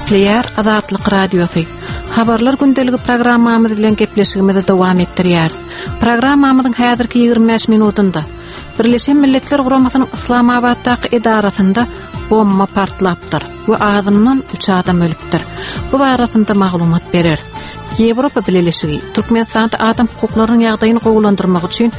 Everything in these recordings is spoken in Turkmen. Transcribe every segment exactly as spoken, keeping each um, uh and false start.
Gepleýär Azatlyk Radiosy. Habarlar gündeligi programmamyz bilen gepleşigimizi dowam etdirýäris. Programmamyzyň häzirki ýigrimi bäş minutynda Birleşen Milletler Guramasynyň Yslamabatdaky edarasynda bomba partlapdyr we azyndan üç adam ölüpdir. Bu barasynda maglumat bereris. Ýewropa Bileleşigi Türkmenistanda adam hukuklarynyň ýagdaýyny gowulandyrmak üçin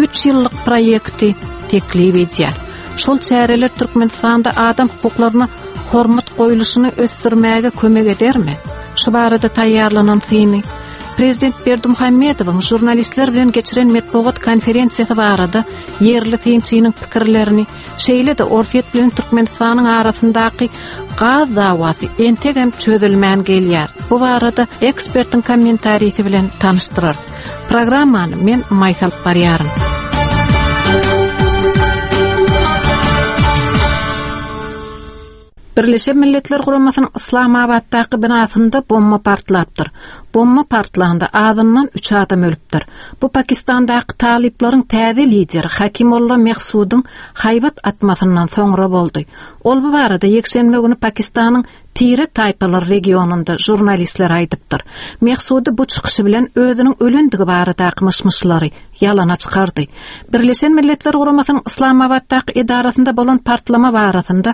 üç ýyllyk proýekti teklip edýär. Şol çäreler Türkmenistanda adam hukuklaryna hormat goýluşyny ösdürmäge kömek edermi? Şu barada taýýarlanan syny Prezident Berdimuhamedowyň žurnalistler bilen geçiren metbugat konferensiýasy barada ýerli synçynyň pikirlerini, şeýle-de Orsýet bilen Türkmenistanyň arasyndaky gaz dawasy entegem çözülmän gelýär. Bu barada ekspertiň kommentarisi bilen tanyşdyrarys. Programmany men Maýsa alyp barýaryn. Birleşen Milletler Guramasynyň Yslamabatdaky binasynda bomba partlapdyr. Bomba partlanda azyndan üç adam ölüpdir. Bu Pakistandaky talyplaryň täze lideri Hakimolla Mehsudyň haýbat atmasyndan soňra boldy. Ol bu barada ýekşenbe güni Pakistanyň Tire taýpalar regionynda žurnalistler aýdypdyr. Mehsudy bu çykyşy bilen özüniň ölendigi baradaky myş-myşlary ýalana çykardy. Birleşen Milletler Guramasynyň Yslamabatdaky edarasynda bolan partlama barasynda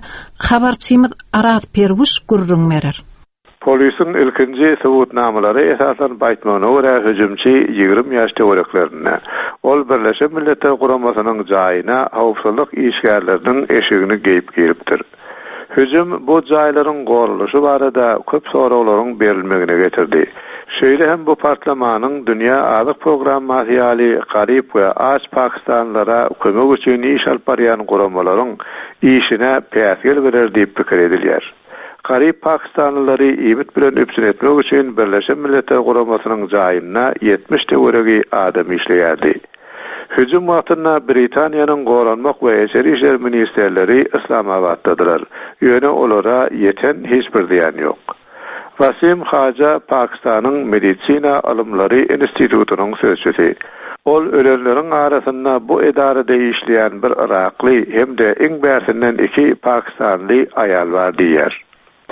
habarçymyz Araz Perwuş gürrüň berer. Polisiň ilkinji subutnamalary esaslanyp aýtmagyna görä hüjümçi ýigrimi ýaş töwereklerinde. Ol Birleşen Milletler Guramasynyň jaýyna howpsuzlyk işgärleriniň eşigini geýip giripdir. Hüjüm bu jaýlaryň goralyşy barada köp soraglaryň berilmegine getirdi. Şeýle hem bu partlamanyň Dünýä Azyk Programmasy ýaly garyp we aç pakistanlylara kömek üçin iş alyp barýan guramalaryň işine päsgel berer diýip pikir edilýär. Garyp pakistanlylary iýmit bilen üpjün etmek üçin Birleşen Milletler Guramasynyň jaýynda ýetmiş töweregi adam işleýärdi. Hüjüm wagtynda Britaniýanyň Goranmak we Içeri işler ministrleri Yslamabatdadylar. Ýöne olara ýeten hiç bir zyýan ýok. Wasim Haja Pakistanyň Medisina Ylymlary Institutynyň sözçüsi. Ol ölenleriň arasynda bu edarada işleýän bir Irakly hem-de iň bärsinden iki pakistanly aýal bar diýýär.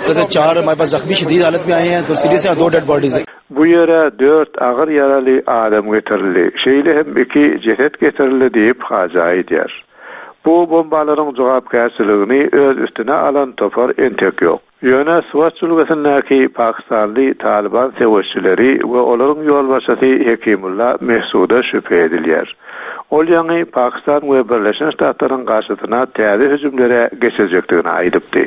जैसे चार हमारे पास जख्मी शदीद हालत में आए हैं तो सीरियस हैं, दो डेड बॉडीज हैं। Bu ýere dört agyr ýaraly adam getirildi. Şeýle hem iki jeset getirildi diýip Haja aýdýar. Bu bombalaryň jogapkärçiligini öz üstüne alan topar entek ýok. Ýöne Swat jülgesindäki Pakistanly Taliban söweşçileri we olaryň ýolbaşçysy Hekimulla Mehsuda şübhe edilýär. Ol ýaňy Pakistan we Birleşen Ştatlaryň garşysyna täze hüjümlere geçirecekdigini aýdypdy.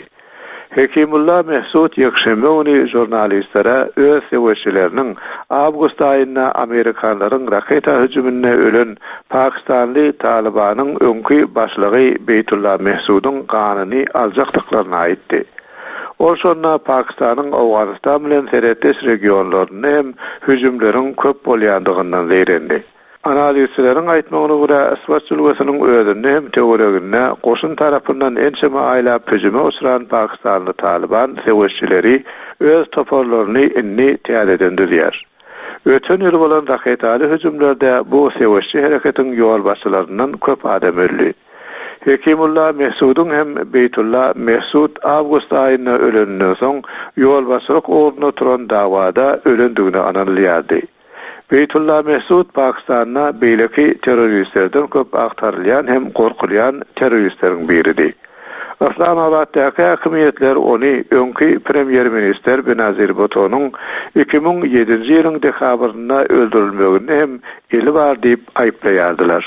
Hekimulla Mehsud ýekşenbe güni žurnalistlere öz söweşçileriniň awgust aýynda Amerikanlaryň raketa hüjüminde ölen Pakistanly Talibanyň öňki başlygy Beýtulla Mehsudyň ganyny aljakdyklaryny aýtdy. Ol şonda Pakistanyň Owganystan bilen serhetdeş regionlarynda hem hüjümleriň köp bolýandygyndan zeýrendi. Analizçileriň aýtmagyna görä, Swat jülgesiniň özünde hem töwereginde goşun tarapyndan ençeme aýlap hüjüme uçran Pakistanly Taliban söweşçileri öz toparlaryny indi täzeden düzýär. Öten ýyl bolan raketaly hüjümlerde bu söweşçi hereketiň ýolbaşçylaryndan köp adam öldi. Hekimulla Mehsudyň hem Beýtulla Mehsud awgust aýynda öleninden soň ýolbaşçylyk ugrunda turan dawada ölendigini ananylýardy. Beýtulla Mehsud Pakistanda beýleki terroristlerden köp agtarylýan hem gorkulýan terroristleriň biridi. Yslamabatdaky häkimiýetler ony öňki premýer-ministr Benazir Bhutto'nyň iki müň ýedinji ýylyň dekabrynda öldürilmeginde hem eli bar diýip aýyplaýardylar.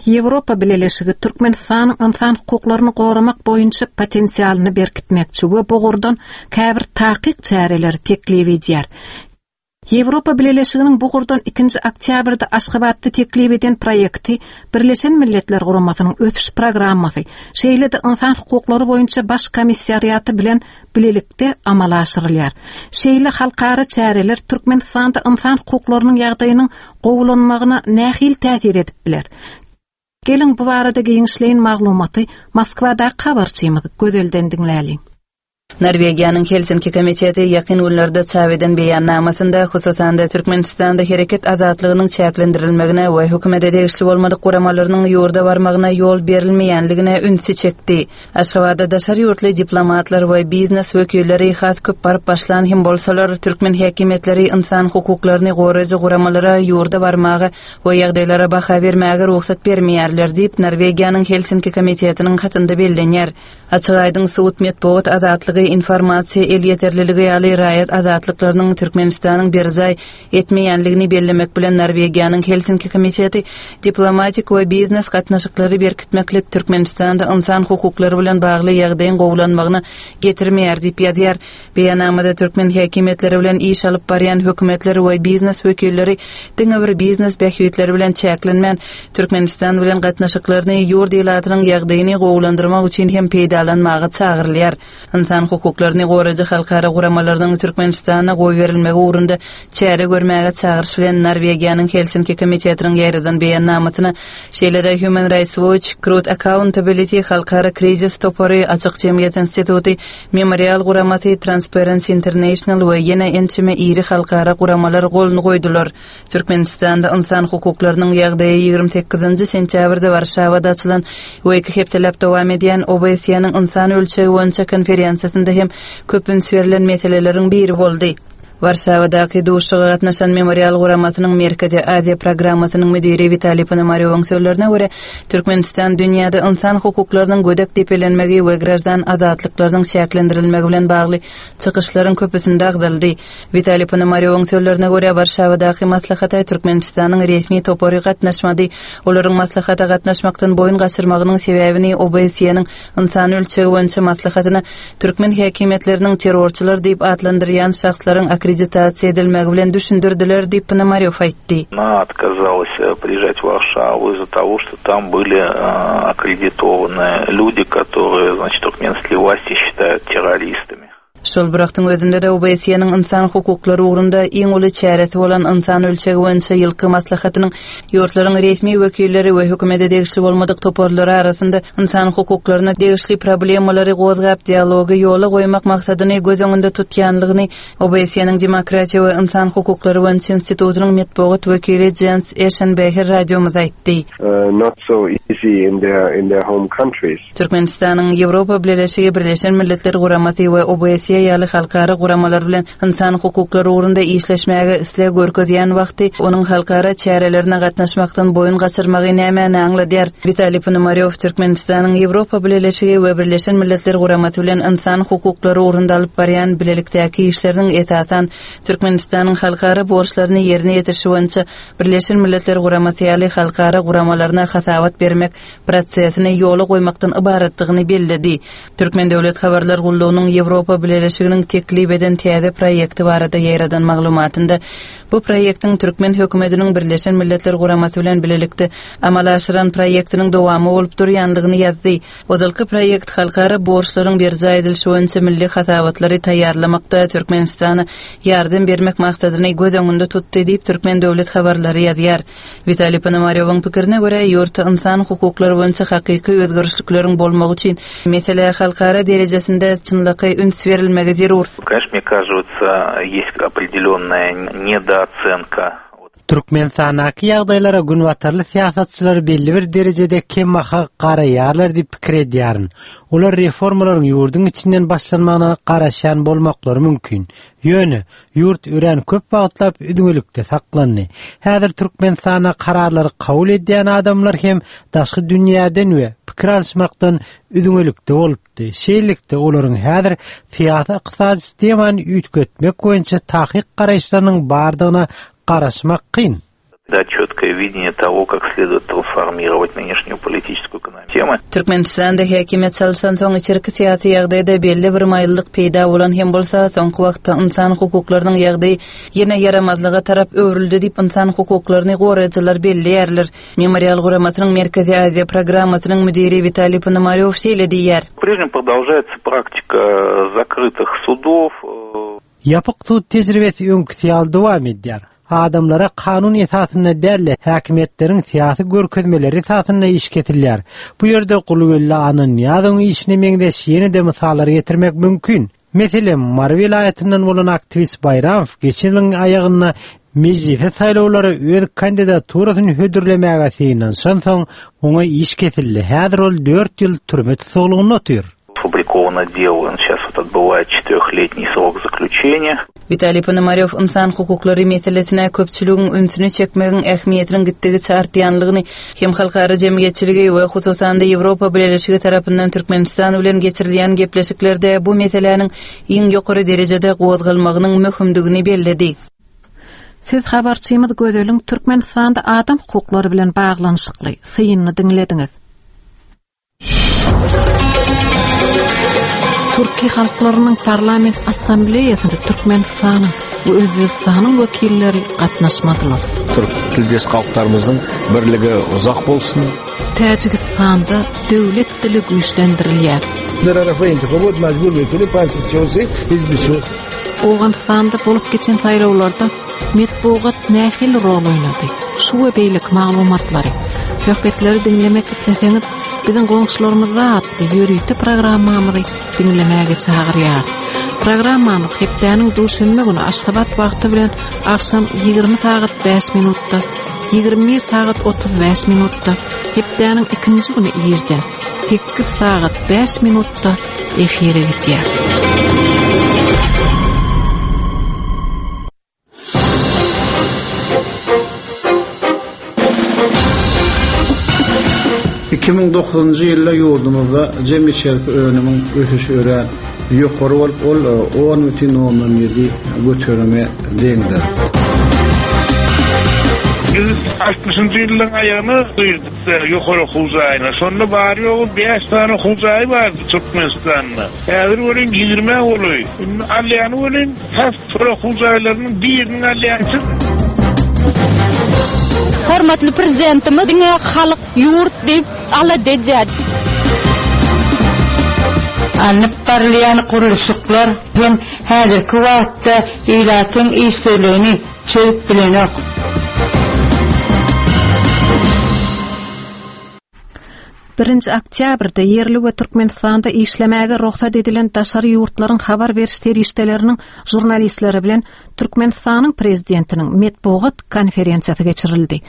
Ýewropa Bileleşigi Türkmenistanyň insan hukuklaryny goramak boýunça potensialyny berkitmekçi we bu ugurdan käbir takyk çäreleri teklip edýär. Ýewropa Bileleşiginiň bu ugurdan ikinji oktýabrda Aşgabatda teklip eden proýekti Birleşen Milletler Guramasynyň ösüş programmasy, şeýle-de insan hukuklary boýunça baş komissariaty bilen bilelikde amala aşyrylýar. Şeýle halkara çäreler Türkmenistanda insan hukuklarynyň ýagdaýynyň gowulanmagyna nähili täsir edip biler? Geliň bu barada giňişleýin maglumaty Moskwadaky habarçymyz Gözelden diňläliň. Norwegiýanyň Helsinki komiteti ýakyn günlerde çap eden beýannamasynda, hususan-da Türkmenistanda hereket azatlygynyň çäklendirilmegine we hökümete degişli bolmadyk guramalarynyň ýurda barmagyna ýol berilmeýänligine ünsi çekdi. Aşgabatda daşary ýurtly diplomatlar we biznes wekilleri has köp baryp başlan hem bolsalar, türkmen häkimiýetleri ynsan hukuklaryny goraýjy guramalara ýurda barmaga we ýagdaýlara baha bermäge rugsat bermeýärler diýip, Norwegiýanyň Helsinki komitetiniň hatynda bellenýär. Açyk aýdyň sud, metbugat azatlygy, informasiýa elýeterliligi ýaly raýat azatlyklarynyň Türkmenistanyň berjaý etmeýänligini bellemek bilen Norwegiýanyň Helsinki komiteti diplomatik we biznes gatnaşyklary berkitmeklik Türkmenistanda ynsan hukuklary bilen bagly ýagdaýyň gowulanmagyna getirmeýär diýip ýazýar. Beýannamada türkmen häkimiýetleri bilen iş alyp barýan hökümetler we biznes wekilleri diňe bir biznes bähbitleri bilen çäklenmän, Türkmenistan bilen gatnaşyklaryny ýurt ilatynyň ýagdaýyny gowulandyrmak üçin hem peýdalanmaga çagyrylýar. Ynsan hukuklaryny goraýjy halkara guramalarynyň Türkmenistana goýberilmegi ugrunda çäre görmäge çagyryş bilen Norwegiýanyň Helsinki komitetiniň ýaýradan beýannamasyna şeýle-de Human Rights Watch, Truth Accountability halkara krizis topary, Açyk jemgyýet instituty, Memorial guramasy, Transparency International we ýene ençeme iri halkara guramalar goluny goýdular. Türkmenistanda ynsan hukuklarynyň ýagdaýy ýigrimi sekizinji sentýabrda Warşawada açylan we iki hepdeläp dowam edýän O B S E-niň ynsan ölçegi boýunça konferensiýasynda hem köp üns berlen meseleleriň biri boldy. Warşawadaky duşuşyga gatnaşan Memorial guramasynyň Merkezi Aziýa programmasynyň müdiri Witaliý Ponomarýowyň sözlerine görä, Türkmenistan dünýäde ynsan hukuklarynyň gödek depelenmegi we graždan azatlyklarynyň çäklendirilmegi bilen bagly çykyşlaryň köpüsinde agzaldy. Witaliý Ponomarýowyň sözlerine görä, Warşawadaky maslahata Türkmenistanyň resmi topary gatnaşmady. Olaryň maslahata gatnaşmakdan boýun gaçyrmagynyň sebäbini O B S E-niň ynsan ölçegi boýunça maslahatyna türkmen häkimiýetleriniň terrorçylar diýip atlandyrýan şahslaryň akkreditasiýa edilmegi bilen düşündirdiler diýip Ponomarýow aýtdy. Она отказалась э, приезжать в Варшаву из-за того, что там были э, аккредитованы люди, которые, значит, туркменские власти считают террористами. Şol bir wagtyň özünde-de O B S E-niň ynsan hukuklary ugrunda iň uly çäresi bolan ynsan ölçegi boýunça ýylky maslahatynyň ýurtlaryň resmi wekilleri we hökümete degişli bolmadyk toparlary arasynda ynsan hukuklaryna degişli problemalary gozgap dialogy ýola goýmak maksadyny göz öňünde tutýanlygyny O B S E-niň Demokratiýa we ynsan hukuklary boýunça institutynyň metbugat wekili Jens Eşenbeher radiomyza aýtdy. uh, not so easy in their in their home countries. Türkmenistanyň Ýewropa Bileleşigi, Birleşen Milletler Guramasy we O B S E ýaly halkara guramalar bilen ynsan hukuklary ugrunda işleşmäge isleg görkezýän wagty onuň halkara çärelerine gatnaşmakdan boýun gaçyrmagy nämäni aňladýar? Witaliý Ponomarýow Türkmenistanyň Ýewropa Bileleşigi we Birleşen Milletler Guramasy bilen ynsan hukuklary ugrunda alyp barýan bilelikdäki işleriniň esasan Türkmenistanyň halkara borçlaryny ýerine ýetirişi boýunça Birleşen Milletler Guramasy ýaly halkara guramalaryna hasabat bermek prosesini ýola goýmakdan ybaratdygyny belledi. Türkmen Döwlet Habarlar Gullugynyň Ýewropa Bileleşiginiň teklip eden täze proýekti barada ýaýradan maglumatynda bu proýektiň türkmen hökümetiniň Birleşen Milletler Guramasy bilen bilelikde amala aşyran proýektiniň dowamy bolup durýanlygyny ýazdy. Ozalky proýekt halkara borçlaryň berjaý edilişi boýunça milli hasabatlary taýýarlamakda Türkmenistana ýardam bermek maksadyny göz öňünde tutdy diýip Türkmen Döwlet Habarlary ýazýar. Witaliý Ponomarýowyň pikirine görä, ýurtda ynsan hukuklary boýunça hakyky özgerişlikleriň bolmagy üçin mesele halkara derejesinde çynlakaý üns berilmegi zerur. Конечно, мне кажется, есть определенная недооценка. Türkmenistandaky ýagdaýlara günbatarly syýasatçylar belli bir derejede kembaha garaýarlar diýip pikir edýärin. Olar reformalaryň ýurduň içinden başlanmagyna garaşýan bolmaklary mümkin. Ýöne ýurt örän köp wagtlap üzňelikde saklandy. Häzir Türkmenistanda kararlary kabul edýän adamlar hem daşky dünýäden we pikir alyşmakdan üzňelikde bolupdy. Şeýlelikde olaryň häzir syýasy ykdysady sistemany üýtgetmek boýunça takyk garaýyşlarynyň bardygyna garaşmak kyn. Дать четкое видение того, как следует трансформировать нынешнюю политическую экономию. Türkmenistanda häkimiýet çalşansoň içerki syýasy ýagdaýda belli bir maýyllyk peýda bolan hem bolsa, soňky wagtda ynsan hukuklarynyň ýagdaýy ýene ýaramazlyga tarap öwrüldi diýip ynsan hukuklaryny goraýjylar belleýärler. Memorial guramasynyň Merkezi Aziýa programmasynyň müdiri Witaliý Ponomarýow şeýle diýýär. По-прежнему продолжается практика закрытых судов. э, Ýapyk sud tejribesi öňküsi ýaly dowam edýär. Adamlara kanun esasynda däl, häkimiýetleriň syýasy görkezmeleri esasynda iş kesilýär. Bu ýerde Gulgeldi Annanyýazowyň işine meňzeş ýene-de mysallar getirmek mümkin. Meselem, Mary welaýatyndan bolan aktiwist Baýramow geçen ýylyň aýagynda mejlise saýlawlara öz kandidaturasyny hödürlemäge synanyşansoň, oňa iş kesildi. Häzir ol dört ýyl türme tussaglygynda otyr. Сфабриковано дело, он сейчас вот отбывает четырехлетний срок заключения. Witaliý Ponomarýow ynsan hukuklary meselesine köpçüligiň ünsüni çekmegiň ähmiýetiniň gitdigiçe artýanlygyny hem halkara jemgyýetçiligi we hususan-da Ýewropa Bileleşigi tarapyndan Türkmenistan bilen geçirilýän gepleşiklerde bu meseläniň iň ýokary derejede gozgalmagynyň möhümdigini belledi. Siz habarçymyz Gözeliň Türkmenistanda adam hukuklary bilen baglanyşykly synyny diňlediňiz. Türki halklarynyň parlament assambleýasynda Türkmenistanyň we Özbegistanyň wekilleri gatnaşmadylar. Türk tildeş halklarymyzyň birligi uzak bolsun. Täjigistanda döwlet dili güýçlendirilýär. در انتخابات مجبور میکنه پنج سیاسی حزب سیاسی. Owganystanda bolup geçen saýlawlarda metbugat nähili rol oýnady? Şu we beýleki maglumatlary, söhbetleri diňlemek isleseňiz, biziň goňşularymyzda atly ýörite programmamyzy diňlemäge çagyrýar. Programmamyz hepdäniň duşenbe güni Aşgabat wagty bilen agşam ýigrimi sagat bäş minutda, ýigrimi bir sagat otuz bäş minutda, hepdäniň ikinji güni irden sekiz sagat bäş minutda efire gidýär. Iki müň dokuzunjy ýylda ýurdumyzda jemi içerki önümiň ösüşi örän ýokary bolup, ol on bütin ondan ýedi göterime deňdir. Biz altmyşynjy ýylyň aýagyna girdik, ýokary okuw jaýyna. Şonda bary ýogy bäş sany okuw jaýy bardy Türkmenistanda. Häzir welin ýigrimi golaý. Indi alýany welin tas şol okuw jaýlarynyň birini alýançy. Hormatly prezidentimiz diňe halk ýurt diýip alada edýär. Alnyp barylýan gurluşyklar hem häzirki wagtda ilatyň işsizligini çözüp bilenok. Birinji oktýabrda ýerli we Türkmenistanda işlemäge rugsat edilen daşary ýurtlaryň habar beriş serişdeleriniň žurnalistleri bilen Türkmenistanyň prezidentiniň metbugat konferensiýasy geçirildi.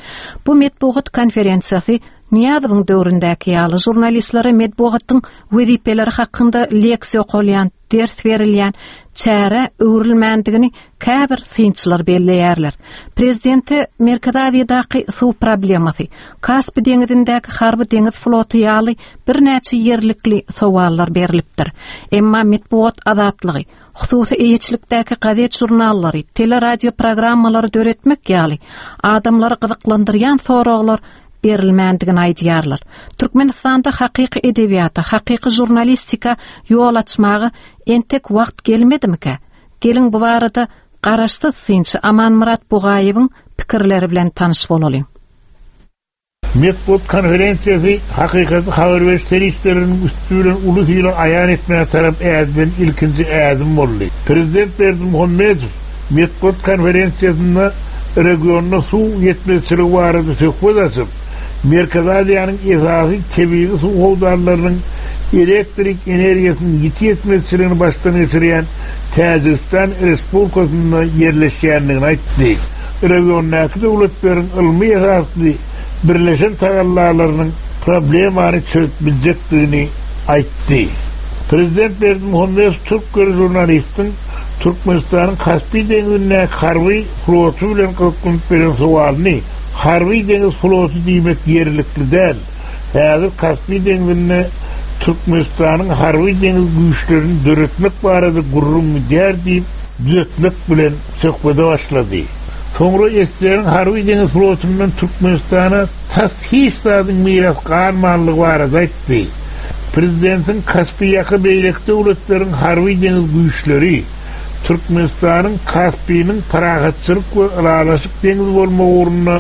Bu metbugat konferensiýasy Nyýazowyň döwründäki ýaly žurnalistlere metbugatyň wezipeleri hakynda leksiýa okalýan, ders berilýän çäre öwrülmändigini käbir synçylar belleýärler. Prezidente Merkezi Aziýadaky suw problemasy, Kaspi deňizindäki harby deňiz floty ýaly birnäçe ýerlikli sowallar berilipdir. Emma metbugat azatlygy, hususy eýeçilikdäki gazet žurnallary, teleradio programmalary döretmek ýaly adamlary gyzyklandyrýan soraglar berilmändigini aýdýarlar. Türkmenistanda hakyky edebiýata, hakyky žurnalistika ýol açmaga entek wagt gelmedimikä? Geliň bu barada garaşsyz synçy Amanmyrat Bugaýewiň pikirleri bilen tanyş bolalyň. Metbugat konferensiýasy hakykaty habar beriş serişdeleriniň üstü bilen uly syla aýan etmäge tarap ädilen ilkinji ädim boldy. Prezident Berdimuhamedow metbugat konferensiýasynda regionda suw ýetmezçiligi barada söhbet açyp, Merkezi Aziýanyň esasy tebigy suw howdanlarynyň elektrik energiýasynyň ýiti ýetmezçiligini başdan geçirýän Täjigistan Respublikasynda ýerleşýändigini aýtdy. Regiondaky döwletleriň ylmy esasly birleşen tagallalarynyň problemany çözüp biljekdigini aýtdy. Prezident Berdimuhamedow türk žurnalistiň Türkmenistanyň Kaspi deňizindäki harby floty bilen gyzyklanyp beren sowalyny harby deňiz floty diýmek ýerlikli däl. Häzir Kaspi deňizinde Türkmenistanyň harby deňiz güýçlerini döretmek barada gürrüň gidýär diýip düzetmek bilen söhbede başlady. Soňra Eseriň harby deňiz flotundan Türkmenistana tas hiç zadyň miras galmanlygy barada aýtdy. Prezidentiň Kaspi ýaka beýleki döwletleriň harby deňiz güýçleri Türkmenistanyň Kaspiniň parahatçylyk we ylalaşyk deňiz bolmagy ugrunda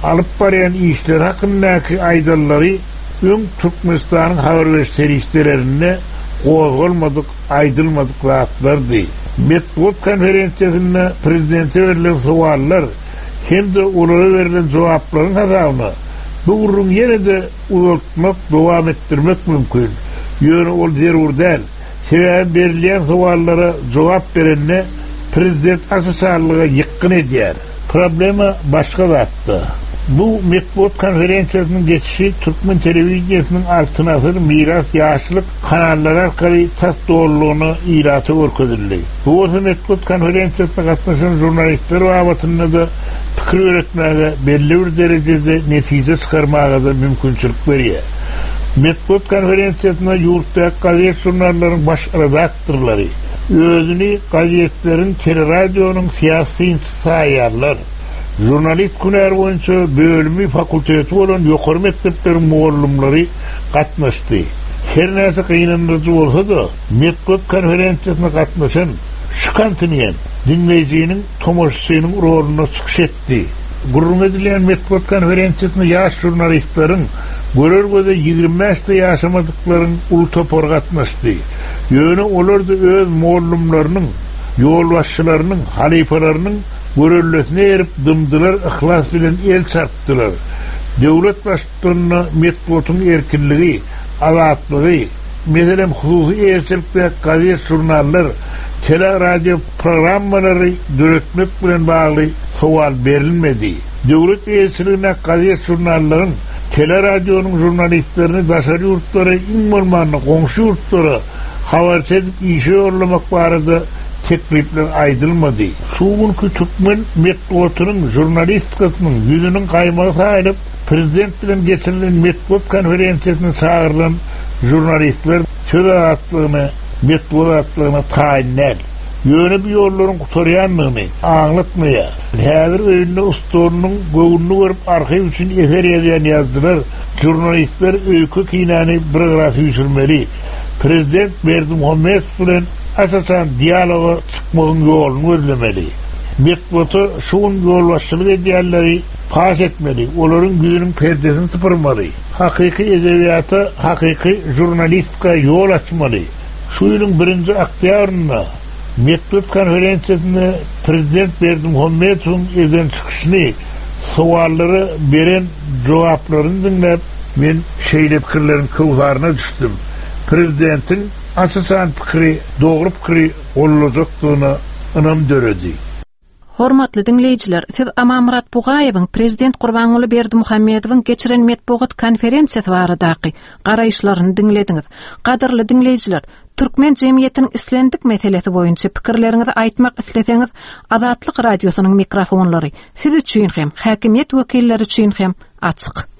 alyp barýan işler hakyndaky aýdanlary öň Türkmenistanyň habar beriş serişdelerinde gozgalmadyk, aýdylmadyk zatlardy. Metbugat konferensiýasynda prezidente berlen sowallar hem-de olara berlen jogaplaryň hasabyna bu gürrüň ýene-de uzaltmak, dowam etdirmek mümkin. Ýöne ol zerur däl. Sebäbi berilýän sowallara jogap berende prezident aç-açanlyga ýykgyn edýär. Problema başga zatda. Bu metbugat konferensiýasynyň geçişi türkmen telewideniýesiniň Altyn Asyr, Miras, Ýaşlyk kanallary arkaly tas dolulygyna ilata görkezildi. Bu bolsa metbugat konferensiýasyna gatnaşan žurnalistler babatynda-da pikir ýöretmäge, belli bir derejede netije çykarmaga-da mümkinçilik berýär. Metbugat konferensiýasyna ýurtdaky gazet-žurnallaryň baş redaktorlary, özüni gazetleriň, teleradionyň syýasy synçysy saýýarlar. Žurnalist hünäri boýunça bölümi, fakulteti bolan ýokary mekdepleriň mugallymlary gatnaşdy. Her näçe gynandyryjy bolsa-da, metbugat konferensiýasyna gatnaşan şu kontingent diňleýjiniň, tomaşaçynyň rolunda çykyş etdi. Gürrüň edilýän metbugat konferensiýasyna ýaş žurnalistleriň, görer göze ýigrimi bäşde ýaşamadyklaryň uly topary gatnaşdy. Ýöne olar-da öz mugallymlarynyň, ýolbaşçylarynyň, halypalarynyň görellesine eýerip dymdylar, yhlas bilen el çarpdylar. Döwlet baştutanyna metbugatyň erkinligi, azatlygy, meselem, hususy eýeçilikdäki gazet-žurnallar, tele-radio programmalary döretmek bilen bagly sowal berilmedi. Döwlet eýeçiligindäki gazet-žurnallaryň, tele-radionyň žurnalistlerini daşary ýurtlara, iň bolmanda goňşy ýurtlara habarçy edip işe ýollamak barada teklipler aýdylmady. Şu günki türkmen metbugatynyň, žurnalistikasynyň ýüzüniň gaýmagy saýylyp, prezident bilen geçirilen metbugat konferensiýasyna çagyrylan žurnalistler söz azatlygyna, metbugat azatlygyna taýyn däl. Ýöne bu ýollaryň gutarýandygyny aňlatmaýar. Häzir öýünde stolunyň göwnüni görüp arhiw üçin eser ýazýan ýazyjylar, žurnalistler öýke-kinäni bir gyra süýşürmeli. Prezident Berdimuhamedow bilen aç-açan dialoga çykmagyň ýoluny gözlemeli. Metbugata şu gün ýolbaşçylyk edýänleri paş etmeli, olaryň ýüzüniň perdesini sypyrmaly. Hakyky edebiýata, hakyky žurnalistika ýol açmaly. Şu ýylyň birinji oktýabrynda metbugat konferensiýasynda prezident Berdimuhamedowyň eden çykyşyny, sowallara beren jogaplaryny diňläp, men şeýle pikirleriň köwsaryna düşdüm, prezidentiň aç-açan pikiri, dogry pikiri gollajakdygyna ynam döredi. Hormatly diňleýjiler, siz Amanmyrat Bugaýewiň prezident Gurbanguly Berdimuhamedowyň geçiren metbugat konferensiýasy baradaky garaýyşlaryny diňlediňiz. Gadyrly diňleýjiler, türkmen jemgyýetiniň islendik meselesi boýunça pikirleriňizi aýtmak isleseňiz, Azatlyk radiosynyň mikrofonlary siz üçin hem, häkimiýet wekilleri üçin hem açyk.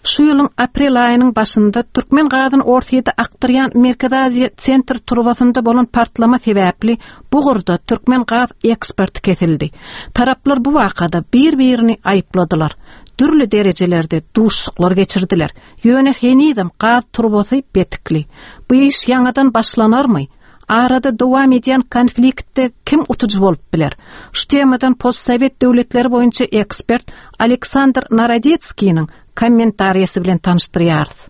Şu ýylyň aprel aýynyň başynda türkmen gazyny Orsýete akdyrýan Merkezi Aziýa sentr turbasynda bolan partlama sebäpli bu ugurda türkmen gaz eksporty kesildi. Taraplar bu wakada bir-birini aýypladylar. Dürli derejelerde duşuşyklar geçirdiler. Ýöne henizem gaz turbasy betikli. Bu iş ýaňadan başlanarmy? Arada dowam edýän konfliktde kim utujy bolup biler? Şu temadan postsowet döwletleri boýunça ekspert Aleksandr Narodetskiniň kommentariýasy bilen tanyşdyrýarys.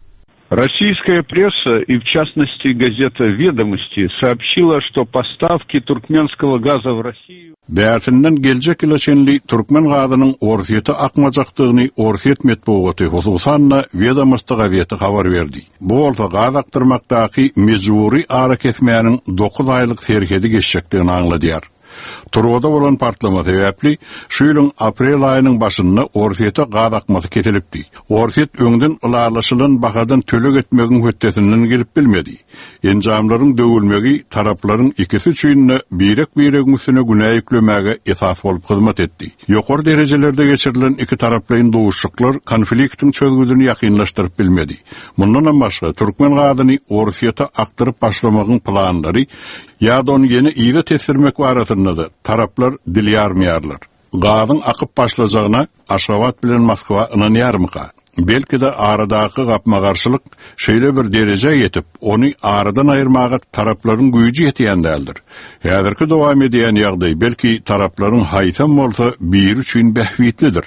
Российская пресса и, в частности, газета «Ведомости» сообщила, что поставки туркменского газа в Россию... Bärsinden geljek ýyla çenli türkmen gazynyň Orsýete akmajakdygyny Orsýet metbugaty, hususan-da Wedomosti gazeti habar berdi. Bu bolsa gaz akdyrmakdaky mejbury arakesmäniň dokuz aýlyk serhedi geçjekdigini aňladýar. Turbada bolan partlama sebäpli şu ýylyň aprel aýynyň başynda Orsýete gaz akmasy kesilipdi. Orsýet öňden ylalaşylan bahadan töleg etmegiň hötdesinden gelip bilmedi. Enjamlaryň döwülmegi taraplaryň ikisi üçin-de birek-biregiň üstüne günä ýüklemäge esas bolup hyzmat etdi. Ýokary derejelerde geçirilen iki taraplaýyn duşuşyklar konfliktiň çözgüdini ýakynlaşdyryp bilmedi. Mundanam başga türkmen gazyny Orsýete akdyryp başlamagyň planlary ýa-da ony ýene yza tesdirmek barasynda-da taraplar dil ýarmaýarlar. Gazyň akyp başlajagyna Aşgabat bilen Moskwa ynanýarmyka? Belki-de aradaky gapma-garşylyk şeýle bir derejä ýetip, ony aradan aýyrmaga taraplaryň güýji ýetýän däldir. Häzirki dowam edýän ýagdaý belki taraplaryň haýsam bolsa biri üçin bähbitlidir.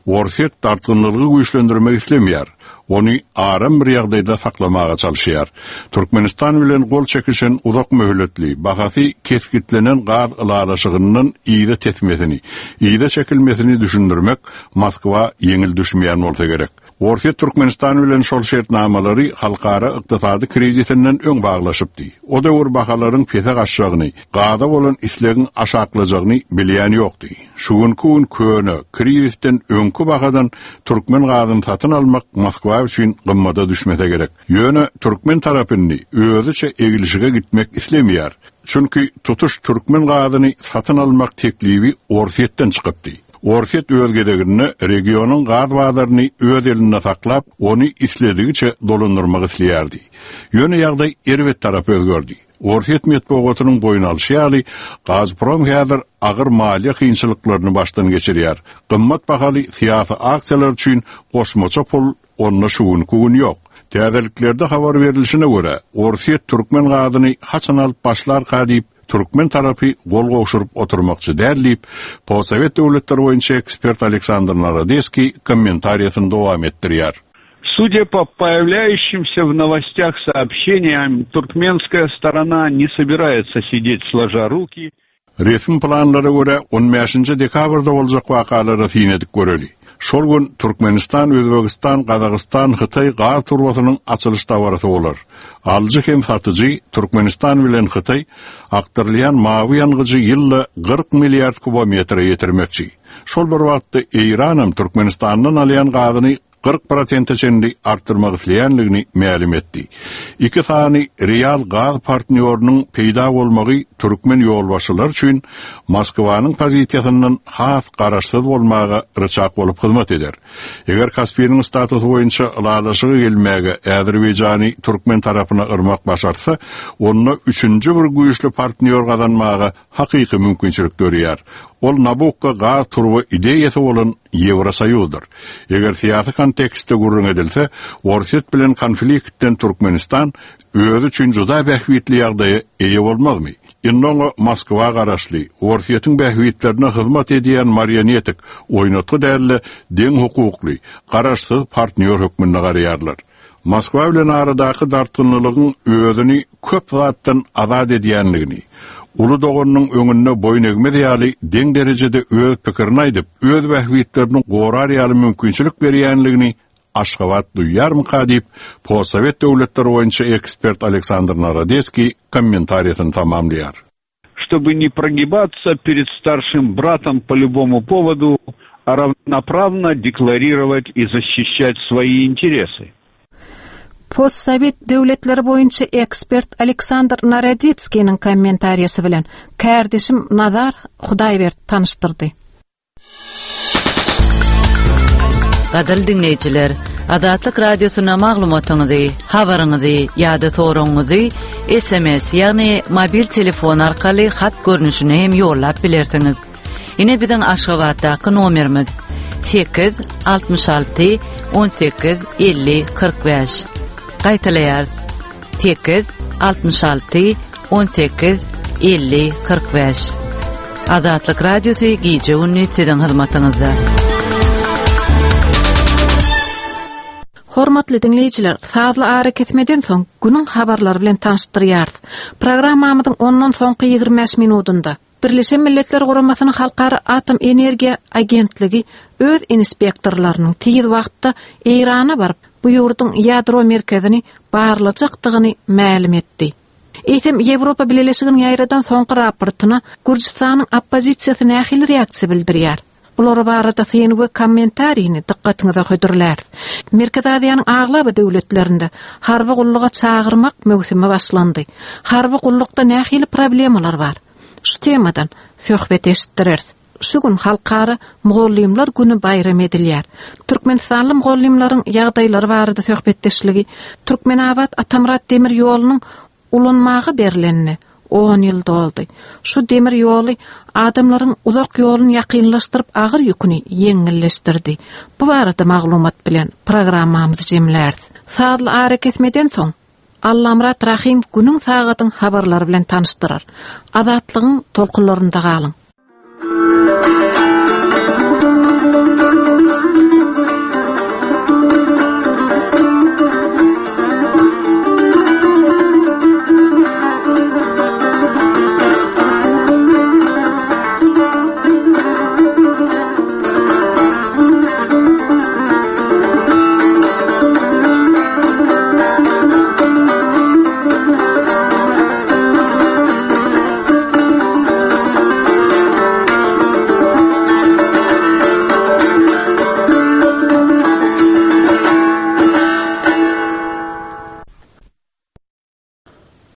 Orsýet dartgynlygy güýçlendirmek islemeýär. Ony aram bir ýagdaýda saklamaga çalyşýar. Türkmenistan bilen gol çekişen uzak möhletli, bahasy kesgitlenen gaz ylalaşygyndan yza tesmesini, yza çekilmesini düşündirmek Moskwa ýeňil düşmeýän bolsa gerek. Orsýet Türkmenistan bilen şol şertnamalary halkara ykdysady krizisinden öň baglaşypdy. O döwür bahalaryň pese gaçjagyny, gaza bolan islegiň aşaklajagyny bilýän ýokdy. Şu günki gün köne krizisden öňkü bahadan türkmen gazyny satyn almak Moskwa üçin gymmada düşmese gerek. Ýöne türkmen tarapyny özüçe egilişige gitmek islemeýär. Çünki tutuş türkmen gazyny satyn almak teklibi Orsýetden çykypdy. Orsýet öz gezeginde regionyň gaz bazaryny öz elinde saklap, ony isledigiçe dolandyrmak isleýärdi. Ýöne ýagdaý erbet tarap özgerdi. Orsýet metbugatynyň boýun alşy ýaly, Gazprom häzir agyr maliýe kynçylyklaryny başdan geçirýär. Gymmat bahaly syýasy aksiýalar üçin goşmaça pul onda şu günki gün ýok. Täzeliklerde habar berilişine görä, Orsýet türkmen gazyny haçan alyp başlarka diýip, türkmen tarapy gol gowşuryp oturmakçy däl diýip, Postsowet döwletleri boýunça ekspert Aleksandr Narodeskiý kommentariýasyny dowam etdirýär. Судя по появляющимся в новостях сообщениям, туркменская сторона не собирается сидеть сложа руки. Resmi planlara görä on bäşinji dekabrda boljak wakalara syn edip göreli. Şol gün Türkmenistan, Özbegistan, Gazagystan, Hytaý gaz turbasynyň açylyş dabarasy bolar. Alyjy hem satyjy Türkmenistan bilen Hytaý akdyrylýan mawy ýangyjy ýylda kyrk milliard kubometre ýetirmekçi. Şol bir wagtda Eýran hem Türkmenistandan alýan gazyny kyrk prosente çenli arttyrmak isleýänligini mälim etdi. Iki sany real gaz partnýorynyň peýda bolmagy türkmen ýolbaşçylary üçin Moskwanyň pozisiýasyndan has garaşsyz bolmaga ryçak bolup hyzmat eder. Eger Kaspiniň statusy boýunça ylalaşyga gelmäge Azerbaýjany türkmen tarapyna yrmak başarsa, onda üçünji bir güýçli partnýor gazanmaga hakyky mümkinçilik dörýär. Ol Nabukko gaz turba ideýasy bolan Ýewrosoýuzdyr. Eger syýasy kontekstde gürrüň edilse, Orsýet bilen konfliktden Türkmenistan özi üçin juda bähbitli ýagdaýa eýe bolmazmy? Indi oňa Moskwa garaşly, Orsýetiň bähbitlerine hyzmat edýän marionetik, oýnatgy däl-de deň hukukly, garaşsyz partnýor hökmünde garaýarlar. Moskwa bilen aradaky dartgynlylygyň özüni köp zatdan azat edýänligini, uly doganyň öňünde boýun egmez ýaly deň derejede öz pikirini aýdyp, öz bähbitlerini gorar ýaly mümkinçilik berýänligini Aşgabat duýýarmyka diýip, Postsowet döwletleri boýunça ekspert Aleksandr Narodeskiý kommentariýasyny tamamlaýar. Чтобы не прогибаться перед старшим братом по любому поводу, а равноправно декларировать и защищать свои интересы. Postsowet döwletleri boýunça ekspert Aleksandr Narodetskiniň kommentariýasy bilen kärdeşim Nazar Hudaýberdi tanyşdyrdy. Gadyrly diňleýjiler, Azatlyk Radiosyna maglumatyňyzy, habaryňyzy ýa-da soragyňyzy S M S, ýagny mobil telefon arkaly hat görnüşine hem ýollap bilersiňiz. Ine biziň Aşgabatdaky nomerimiz sekiz altmyş alty on sekiz elli kyrk bäş. Gaýtalaýarys. Sekiz altmyş alty on sekiz elli kyrk bäş. Azatlyk Radiosy gije gündüz siziň hyzmatyňyzda. Hormatly diňleýjiler, sazly ara kesmeden soň günüň habarlary bilen tanyşdyrýarys. Programmamyzyň ondan soňky ýigrimi bäş minutynda Birleşen Milletler Guramasynyň Halkara Atom Energiýa Agentligi öz inspektorlarynyň tiz wagtda Eýrana baryp, bu ýurduň ýadro merkezini barlajakdygyny mälim etdi. Eýsem Ýewropa Bileleşiginiň ýaýradan soňky raportyna Gürjüstanyň oppozisiýasy nähili reaksiýa bildirýär? Bular barada syn we kommentarini dykgatyňyza hödürläris. Merkezi Aziýanyň aglaba döwletlerinde harby gulluga çagyrmak möwsümi başlandy. Harby gullukda nähili problemalar bar? Şu temadan söhbet eşitdireris. Şu gün Halkara Mugallymlar günü baýram edilýär. Türkmenistanly mugallymlaryň ýagdaýlary barada söhbetdeşligi Türkmenabat Atamyrat demir ýolunyň ulanmaga berlenini on ýyl doldy. Şu demir ýoly adamlaryň uzak ýoluny ýakynlaşdyryp agyr ýüküni ýeňilleşdirdi. Bu barada maglumat bilen programmamyzy jemläris. Sazly ara kesmeden soň Allamyrat Rahim günüň sagatyň habarlary bilen tanyşdyrar. Azatlygyň tolkunlarynda galyň.